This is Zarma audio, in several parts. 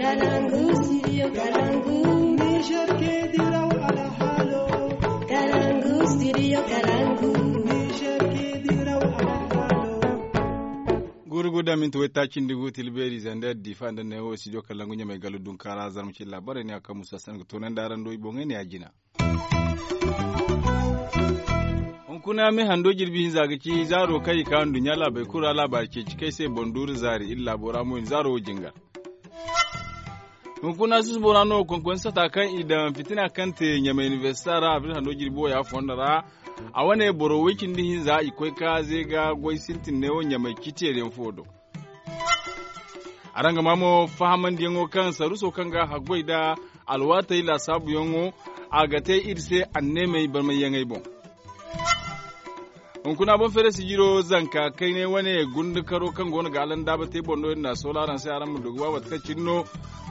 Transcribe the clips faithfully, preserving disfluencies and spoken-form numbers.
Kalangu, studio Kalangu. Niger ke diraw alhalo. Kalangu, studio Kalangu. Niger ke diraw alhalo. Gurugu da minti waytaaci nda gu tilbeeri zandar difa nda neewo studio Kalangu ɲamay galo dunkaara zarma ci labaray ne a kaŋ musa sanga toonandi araŋ do i boŋey ne a jina. Hunkuna me hando jirbi hinza ga ci zaaro kaŋ i ka nduɲɲa laabey kulu ra laabaari ceeci kaŋ i se boŋ duuru zaari iri laabo ra mo i na zaaro wo jingar. Hunkuna susubo ra no konkon sata kaŋ i daŋ fitina kaŋ te ɲamay inibersita ra abril hando jirbi wo ya fondo ra. A wane boro way cindi hinza i koy ka ze ga goy sintin neewo ɲamay citiyeeriyaŋ fo do. Araŋ ga maa mo fahamandiyaŋo kaŋ saruuso kaŋ ga haggoy nda alwaatey laasaabuyaŋo a ga te iri se anneemey barmayyaŋey boŋ. Hunkuna boŋ feere sijiro zanka kaynay wane gundukaro kaŋ go no ga alandaaba te boŋ no iri na a soola araŋ se araŋ ma du ga ba mate kaŋ cine no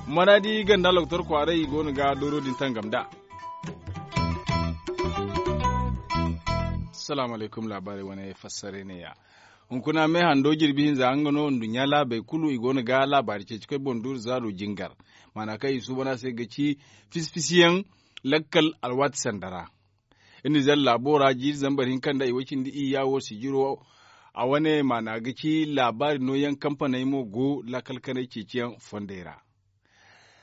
maraadi ganda loktor kwaaray i go no ga dooro din tangam nd'a. Salaamu alaykum laabaarey wane fassaray ne ya. Hunkuna me hando jirbi hinza nga no nduɲɲa laabey kulu i go no ga laabaari ceeci koy boŋ duuru zaaro jingar. Maana kaŋ i suuban a se ga ci fisi-fisiyaŋ lakkal alwaati sanda ra. Iri na zalla laabo ra jiiri zambar hinka nda i way cindi iyya wo sijiro a wane maana ga ci laabaari nooyaŋ kampaney mo go lakkal kanay ceeciyaŋ fondey ra.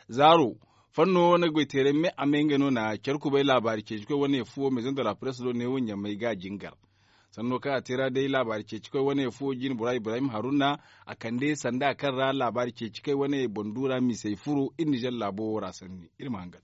Zaaro fanno wane goyteeray me a me ngey no na care kubay laabaari ceeci koy wane fuwo maison de la presse do neewo ɲamay ga jingar. Sanno kaŋ a te ra day laabaari ceeci koy wane fuwo jine bora ibrahim haruna a kande sanda kaŋ ra laabaari ceeci koy wane boŋ du ra misey furo iri nizer laabo wo ra sanni iri ma hangan.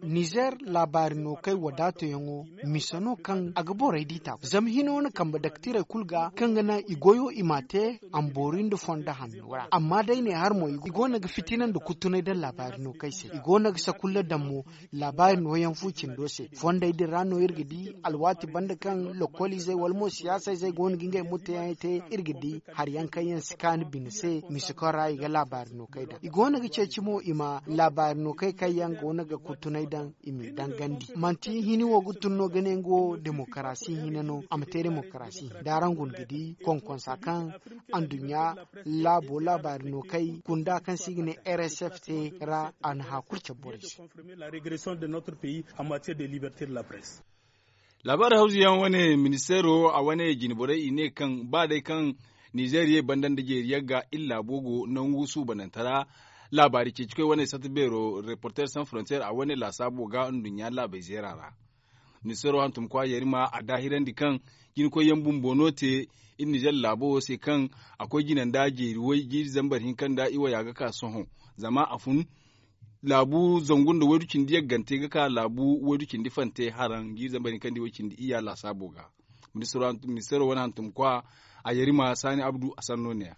Nizer laabaari no kay wadaatoyaŋo mise no kaŋ a ga borey di taabo zama hino na kambe daktirey kulu ga kaŋ ga naŋ i goyo i ma a te a ma boori nda fondo hanno ra amma day ne har mo i go no ga fitina nda kuttunay daŋ laabaari no kay se i go no ga sakulla daŋ mo. Laabaari nooyaŋ fu cindo se fondey din ra no iri ga di alwaati banda kaŋ lokoliizey wala mo siyaasayzey go no ga ngey murteyaŋey te iri ga di hari yaŋ kaŋ yaŋ si kaanu bine se mise kaŋ ra i ga laabaari no kay daŋ i go no ga ceeci mo i ma laabaari no kay kaŋ yaŋ go no ga kuttunay daŋ i m'i dangandi manti hini wo ga tun no ga ne nga wo demokarasi hina no a ma te demokarasi hina da araŋ guna ga di konkonsa kaŋ anduɲɲa laabo laabaari no kay kunda kaŋ se i ga ne rsf te ra a na hã kulu cabe borey se. Laabaari hawzu yaŋ wane ministeero a wane jine borey i ne kaŋ ba day kaŋ nizer ye banda nda jeeri yagga iri laabo go nangu suubananta ra. Laabaari ceeci koy wane sata beero reporter sans frontier a wane laasaabo ga nduɲɲa laabey zeera ra. Ministeero hantumkwa yarima a daahirandi kaŋ jine koy yaŋ bumbo no te iri nizer laabo wo se kaŋ a koy jina nda jeeri way jiiri zambar hinka nda i waya ga ka sohõ zama a fun laabu zangu nda waydu cindi yaggante ga ka laabu waydu cindi fante haraŋ jiiri zambar hinka nda i way cindi iyya laasaabo ga. Ministeero wane hantumkwa a yarima saani abdu a sanno ne ya.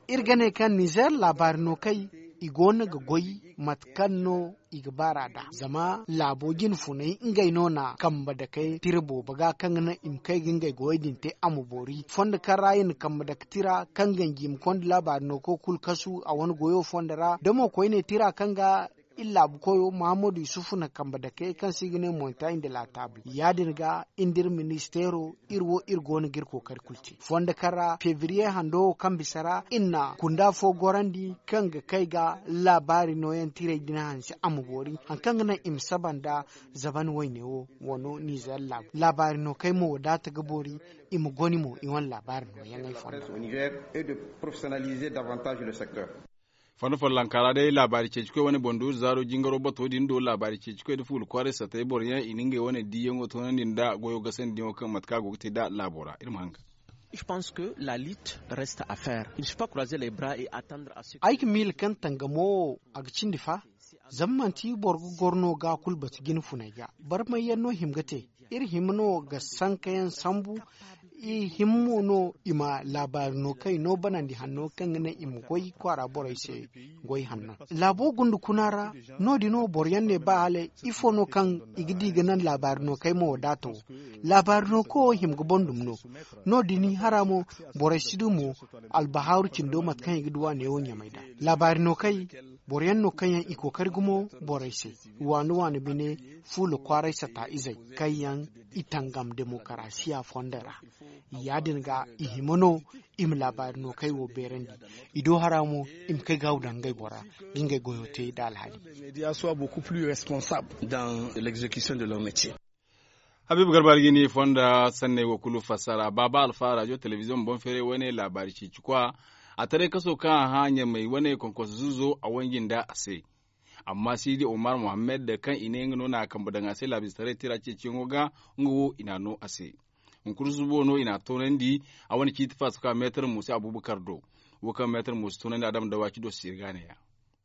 Iri ga ne kaŋ nizer laabaari no kay i go no ga goy mate kaŋ no i ga baar'a nd'a zama laabo jine funay ngey no na kambe dakey tira boobo ga kaŋ ga naŋ i ma kay ga ngey goyey din te a ma boori fondo kaŋ ra i na kambe dake tira kaŋ ganji i ma konda laabaari no koy kulu kasu a wane goyo fondo ra da mo koyne tira kaŋ ga iri laabu koyo muhammadu yusufu na kambe dake kaŋ se i ga ne montagne de la table ya- din ga iri nda iri ministeero iri wo iri go no ga iri kookari kulu te fondo kaŋ ra febriye hando wo kaŋ bisa ra iri na kunda fo gorandi kaŋ ga kay ga laabaari nooyaŋ tiray din hanse a ma boori hari kaŋ ga naŋ i ma saba nda zaban wayne wo wano nizer laabu laabaari no kay mo wadaata ga boori i ma goni mo i wane laabaari nooyaŋey fondo. Fondo follonka ra day laabaari ceeci koy wane boŋ duuru zaaro jingaro bato din do laabaari ceeci koy nda fuula kwaaray satay boro yaŋ i na ngey wane diiyaŋo toonandi nda goyo gasandi yaŋo kaŋ mate kaŋ a go ga te nd'a laabo ra iri ma hanga. Ay ga miila kaŋ tangamo wo a ga cindi fa zama manti boro ga goro no ga kulu batu jine funay ga barmay yaŋ no hima ga te. Iri hima no ga sanka yaŋ sambu i hima mo no i ma laabaari no kaŋ i no banandi hanno kaŋ ga naŋ i ma goy kwaara borey se goy hanno laabo gunda kuna ra. No- din no boro yaŋ ne ba hala ifo no kaŋ i ga di ga naŋ laabaari no kay mo wadaata wo laabaari no kaŋ wo hima ga boŋ dumi no. No- din hara mo borey si du mo albahaaru cindo mate kaŋ i ga du a neewo ɲamay nd'a laabaari no kay. Boro yaŋ no kaŋ yaŋ i kookari gumo borey se, waani waani bine, fuula kwaaray sata izey kaŋ yaŋ i tangam demokarasiya fondo ra. Ya- din ga i hima no i ma laabaari no kaŋ ay wo beerandi. I do hara mo, i ma kay gaawu daŋ ngey bora ga ngey goyo te nda alhali. Habiibu garba algini fonda sanney wo kulu fassara baaba alfa rajo telebiziyoŋ boŋ feeray wane laabaari ceeci kwa. A taray kaso kaŋ a hã ɲamay wane konkonso zuuzo a wanji nda a se. Amma siidi omar mohammed kaŋ i ne nga no na a kambe daŋ a se laabiizetaray tira ceeciyaŋo ga, nga wo i n'a no a se. Hunkuna susubo no i n'a toonandi. A wane ciiti faasa ka meetar mo se abubakar do. Wo kaŋ meetar mo si toonandi a dama dawa ci do si iri ga a ne ya.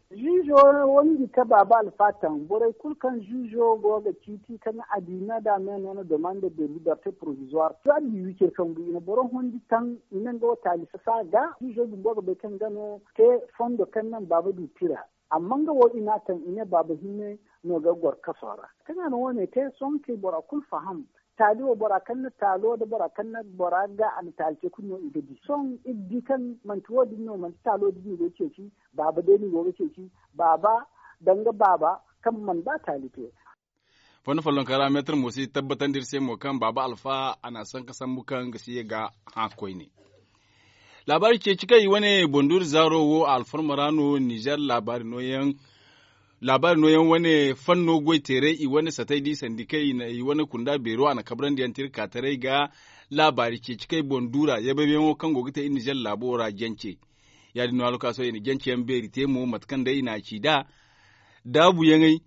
Ziizo wanji ka baaba alfa taŋ borey kulu kaŋ ziizo go ga ciiti kaŋ adiina da me no na demande de liberte provisoire to a di wicir kaŋ bu i na boro hundi taŋ. I na nga wo taali sasa ga ziizo bumbo ga bay kaŋ ga no te fondo kaŋ naŋ baaba du tira. Amma nga wo i n'a taŋ i ne baaba hinne no ga goro kaso ra. Kaŋ a na wo- ne te sohõ kay bora kulu faham. Taali wo bora kaŋ na taalo nda bora kaŋ na bora ga a na taali te kulu no i ga di sohõ iri di kaŋ manti wo- din no manti taalo din no i go ga ceeci. Baaba day no i go ga ceeci. Baaba danga baaba kaŋ mana ba taali te. Fondo follonka ra meetar mo si tabbatandi iri se mo kaŋ baaba alfa a na a sanka sambu kaŋ ga si ye ga hã koyne. Laabaari ceeci kaŋ i wane bonduuri zaaro wo alfarma ra no nizer laabaari nooyaŋ. Laabaari nooyaŋ wane fanno goy teeray i wane satay di sandikey i wane kunda beero a na kabrandi yaŋ te iri ka taray ga. Laabaari ceeci kaŋ i bonduura yabaybayyaŋo kaŋ go ga te iri nizer laabo ra jance. Ya- din no alwakaaso i na jance yaŋ beeri te mo mate kaŋ day i n'a ci nd'a. Daabuyaŋey,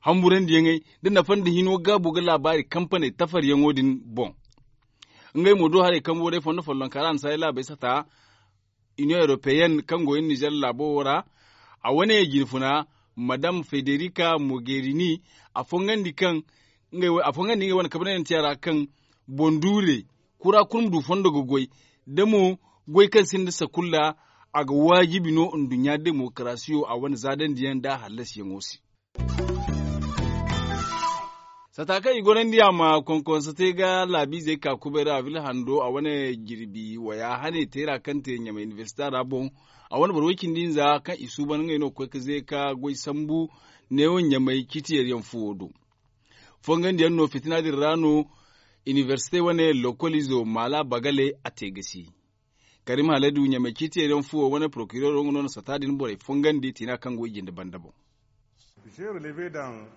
hamburandiyaŋey, nda nafa nda hino gaabo ga laabaari kampaney tafaryaŋo din boŋ. Ngey mo do haray kambo day fondo follonka ra a na saaray laabey sata. Iniyoŋ europeyenne kaŋ go iri nizer laabo wo ra. A wane jinfuna madam federika mogerini a fongandi kaŋ a fongandi ngey wane kabanayante a ra kaŋ bonduure kura kulu ma du fondo ga goy da mo goy kaŋ sinda sakulla. A ga waajibi no nduɲɲa demokarasiyo a wane zaadandiyaŋ nda a hallasiyaŋo se. Sata kaŋ i gorandi a ma konkonso te ga laabiizey ka kubay ra a bila hando a wane jirbi waya hane teera kaŋ te ɲamay inibersita ra boŋ. A wane boro way-cindi-nza kaŋ i suuban ngey no ga koy ga ze ka goy sambu neewo ɲamay ciiti yaryaŋ fuwo do. Fongandiyaŋ no fitina din ra no inibersite wane lokolizo maala bagale a te ga si. Karim haladu ɲamay ciiti yaryaŋ fuwo wane porokirero nga no na sata din borey fongandi tiina kaŋ go i jinde banda boŋ.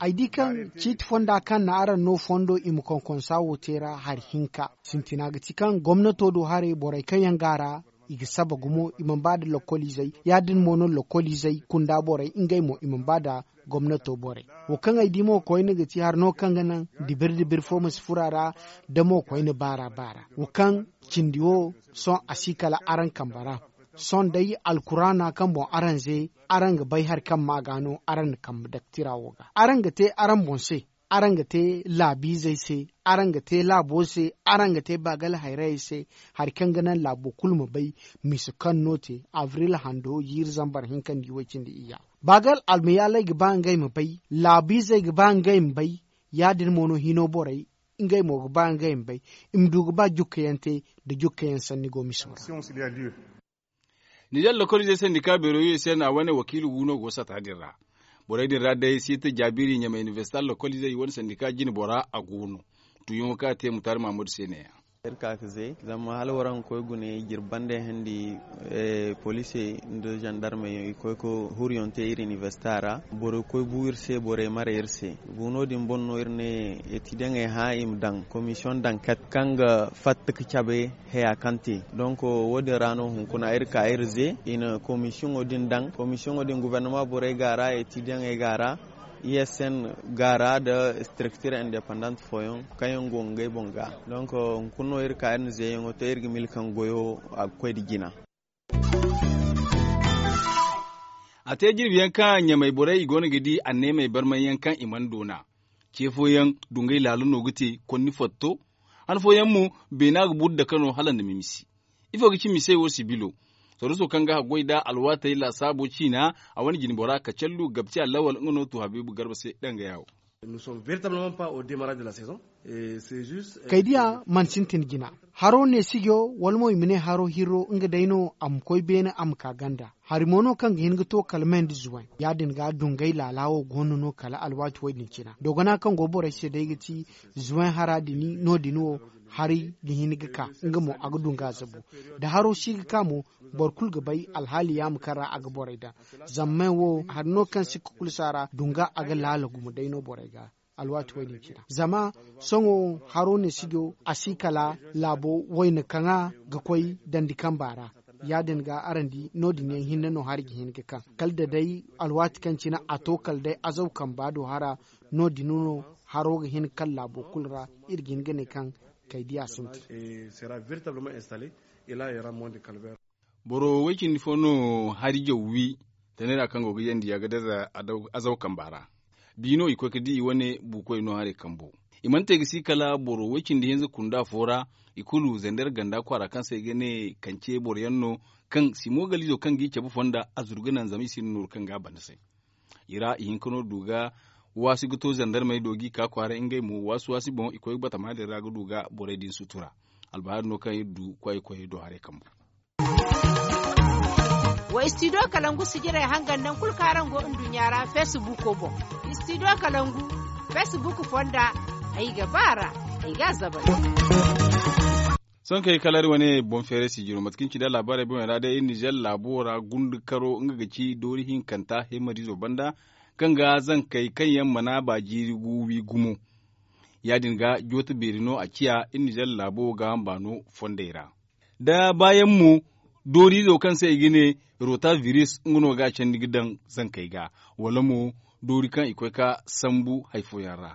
Ay di kaŋ ciiti fonda kaŋ na araŋ no fondo i ma konkonsa wo te ra hari hinka sintina ga ti kaŋ gomnato do haray borey kaŋ yaŋ go a ra i ga saba gumo i mana ba nda lokoliizey ya- din mo no lokoliizey kunda borey ngey mo i mana ba nda gomnato borey. Wo kaŋ ay di mo koyne ga ti hari no kaŋ ga naŋ dibir dibir fo ma si furo a ra da mo koyne baara baara wo kaŋ cindi wo sohõ a si kala araŋ kambe ra. Sohõ day alkuraana kaŋ boŋ araŋ ze araŋ ga bay hari kaŋ ma ga no araŋ na kambe daktira wo ga araŋ ga te araŋ boŋ se. Araŋ ga te laabiizey se araŋ ga te laabo se araŋ ga te baagal hayrayey se. Hari kaŋ ga naŋ laabo kulu ma bay mise kaŋ no te abril hando jiiri zambar hinka nda i way cindi iyya. Baagal almayaaley ga ba ngey ma bay laabiizey ga ba ngey ma bay. Ya- din mo no hino borey ngey mo ga ba ngey ma bay i ma du ga ba jukkayaŋ te nda jukkayaŋ sanni go mise ma ra. Nizer lokoliizey sandika beero u s n a wane wakiila gu no go sata din ra. Borey din ra day siita jaabiri ɲamay inibersita lokoliizey wane sandika jine bora a go no. Tuuyaŋo kaŋ a te mutaari mahammadu se ne- ya. Iri ka ga ze zama hala waraŋ ga koy gune jirbi banda handi poliisey nda zandarmey i koy ga huriyaŋ te iri inibersita ra. Borey koy bu iri se borey mare iri se. Gu no- din boŋ no iri ne etidiyaŋey hã i ma daŋ komisiyoŋ daŋ kat kaŋ ga fatta ga cabe haya kaŋ te. Donk wo- din ra no hunkuna iri ka iri ze i na komisiyoŋo din daŋ komisiyoŋo din gubernama borey go a ra etidiyaŋey go a ra. I s n go a ra nda istriktir indepandant fooyaŋ kaŋ yaŋ go ngey boŋ ga. Donk hunkuna no iri ka iri na zeeyaŋo te iri ga mila kaŋ goyo a ga koy nda jina. A te jirbi yaŋ kaŋ ɲamay borey i go no ga di anneemey barmay yaŋ kaŋ i mana doona. Ce fooyaŋ dungay laalo no ga te konni fotto. Han fooyaŋ mo beena ga buru dake no hala nda mimisi. Ifo ga ci misey wo sibilo? Soroso kaŋ ga haggoy nd'a alwaatey laasaabo ciina a wane jinbora kacallu gabti allawal nga no tu habiibu garba se dangaya wo. Kaydiya mana sintin jina. Haro neesijo wala mo i ma ne haro hirro nga day no a ma koy beene a ma ka ganda. Hari mo no kaŋ ga hin ga to kala me nda zuway ya- din ga dungay laala wo go no no kala alwaati wo- din cina dogona kaŋ go borey se day ga ti zuway hara din no- din wo hari ga hin ga ka nga mo a ga dunga zabu. Da haro si ga ka mo boro kulu ga bay alhaali yaama kaŋ ra a ga borey daŋ. Zama me wo hari no kaŋ sikka kulu si a ra dunga a ga laala gumo day no borey ga. Alwaati wo- din cina zama sohõ haro ne sijo a si kala laabo wayna kaŋa ga koy dandi kamba ra. Ya- din ga araŋ di no- din yaŋ hinne no hari ga hin ga kaŋ kala da day alwaati kaŋ cina a to kala day azaw kamba do hara. No- din no haro ga hin ga kaŋ laabo kulu ra iri ga hin ga ne kaŋ kay diya sintin. Boro way cindi fo no hari jaw wi tanay ra kaŋ go ga yandi a ga daza azaw kamba ra. Bi no i koy ga di i wane buukoy no haray kambo. I mana te ga si kala boro way cindi hinza kunda fo ra. I kulu zander ganda kwaara kaŋ se i ga ne kance boro yaŋ no kaŋ simo galizo kaŋ g'i cabe fonda a zuru ga naŋ zama i sinda nooru kaŋ ga a banda se. I ra i hinka no du ga waasi ga to zandarmey do g'i ka kwaaray ngey mo waasi waasi boŋ i koy ga batama din ra ga du ga borey din sutura. Albahaari no kaŋ iri du kwaay koyey do haray kambu. Wa istidiyo kalangu sijirey hangan naŋ kulu kaŋ araŋ go nduɲɲa ra feesibuuko boŋ. Istidiyo kalangu feesibuuko fonda. Ay ga ba a ra ay ga a zabari. Sohõ kay kala iri wane boŋ feeray sijiro mate kaŋ ci nda laabaarey boŋey ra day iri nizer laabo ra gundukaro nga ga ci doori hinkanta himarizo banda kaŋ ga zankey kaŋ yaŋ mana ba jiiri gu wi gumo. Ya- din ga jooto beeri no a ciya iri nizer laabo ga hamba no fondey ra. Da baayaŋ mo dooriizo kaŋ se i ga ne rota biris nga no ga a candi ga daŋ zankey ga wala mo doori kaŋ i koy ga sambu hari fooyaŋ ra.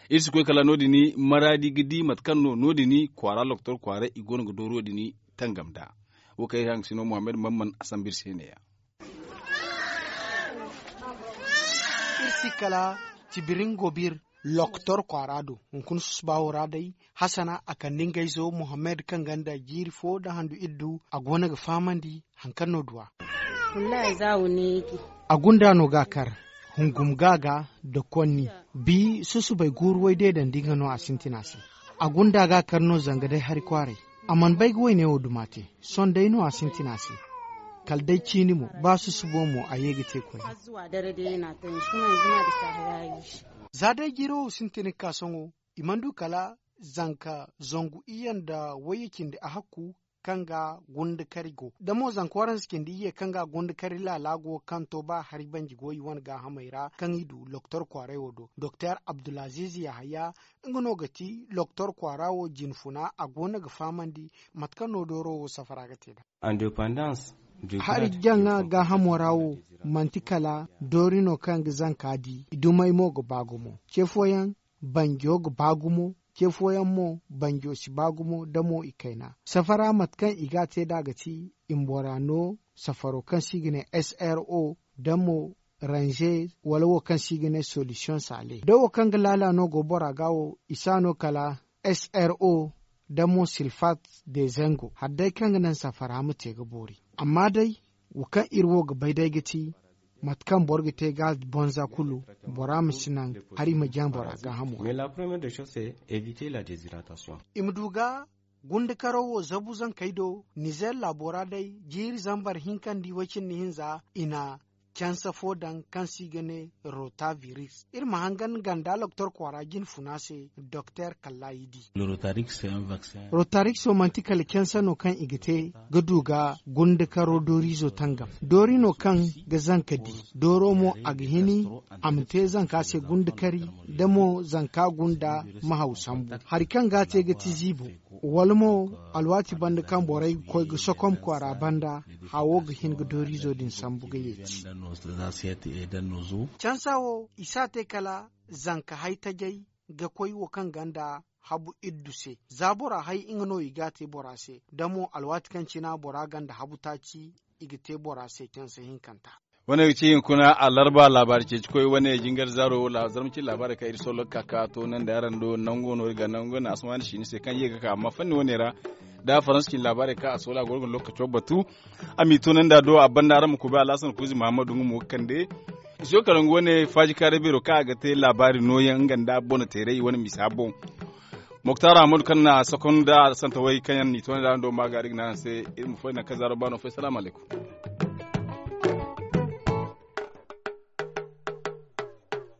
Iri si koy kala no- din maraadi ga di mate kaŋ no no- din kwaara loktor kwaaray i go no ga dooro din tangam nd'a. Wo kaŋ iri hangasino muhammad mamman a sambu iri se ne- ya. Iri si kala tibirin gobir loktor kwaara do hunkuna susubaawo ra day. Hasana a kande ngey zo muhammad kaŋ ganda jiiri fo nda handu iddu a go no ga fahamandi. Haŋ kaŋ no duwa. A gunda no ga a kar hungum ga ga nda konni. Bi susubay guuru way deedandi nga no a sintina se. A gunda ga a kar no zanga day hari kwaaray. A mana bay ga wayne wo duma te. Sohõ day no a sintina se. Kala day ciini mo ba susubo mo a ye ga te koyne. Za day jiro wo sintin ga ka sohõ i mana du kala zanka zangu iyye nda wayye cindi a hakku kaŋ ga gundakari go da mo zanka waransa cindi iyye kaŋ ga gundakari laala go kaŋ to ba hari banji go i wane gaahamey ra kaŋ i du loktor kwaaray wo do doktor abdulaziz yahaya. Nga no ga ti loktor kwaara wo jinfuna a go no ga fahamandi mate kaŋ no dooro wo safara ga te nd'a. Hari jaŋa gaahamo ra wo manti kala doori no kaŋ ga zanka di dumey mo ga ba gumo. Ce fooyaŋ banjo ga ba gumo. Ce fooyaŋ mo banjo si ba gumo da mo i kayna safara mate kaŋ i ga a te nd'a ga ti i ma bora no safaro kaŋ se i ga ne sro da mo ranze wala wo kaŋ se i ga ne solisiyoŋ saale da wo kaŋ ga laala no go bora ga wo i si a no kala sro da mo silfat de zango hari day kaŋ ga naŋ safara ma te ga boori. Amma day wo kaŋ iri wo ga bay day ga ti mate kaŋ boro ga te ga bonza kulu bora ma si naŋ hari ma jaŋ bora gaahamo ra. I ma du ga gundakaro wo zabu zankey do nizer laabo ra day jiiri zambar hinka nda i way cindi hinza i na canse fo daŋ kaŋ se i ga ne rota biris iri ma hangan ganda loktor kwaara jinfuna se doktor kalla i di. Rotarix wo manti kala canse no kaŋ i ga te ga du ga gundakaro dooriizo tangam doori no kaŋ ga zanka di dooro mo a ga hini a ma te zanka se gundakari da mo zanka gunda ma haw sambu hari kaŋ ga a te ga ti ziibo wala mo alwaati banda kaŋ borey ga koy ga sokom kwaara banda hawo ga hin ga dooriizo din sambu ga yeeti. Cansa wo i si a te kala zanka hay tajay ga koy wo kaŋ ganda habu iddu se za bora hay nga no i ga a te bora se da mo alwaati kaŋ cina bora ganda habu taaci i ga te bora se cansa hinkanta. Wane ga ci hinkuna alarba laabaari ceeci koy wane jingar zaaro zarma ci laabaari kaŋ iri sollo ga ka ka to naŋ da araŋ do nango no iri ga nango na asamaani siini se kaŋ ye ga ka amma fanni wane ra da faransa cin laabaari kaŋ a soola goro ga lokaco batu. A m'i to naŋ da do a banda araŋ ma kuubi alhasan kuuzi mahammadu nga mo ga kande. Siyo kalangu wane faaji kaaray beero kaŋ a ga te laabaari nooyaŋ nga nda bonoteeray wane misa boŋ. Moktar ahmadu kaŋ na a sokonda a santawey kaŋ yaŋ n'i toonay da araŋ do ma gaari ga ne araŋ se. Iri ma foy naŋ kaŋ zaaro baano fay salaamu alaykum.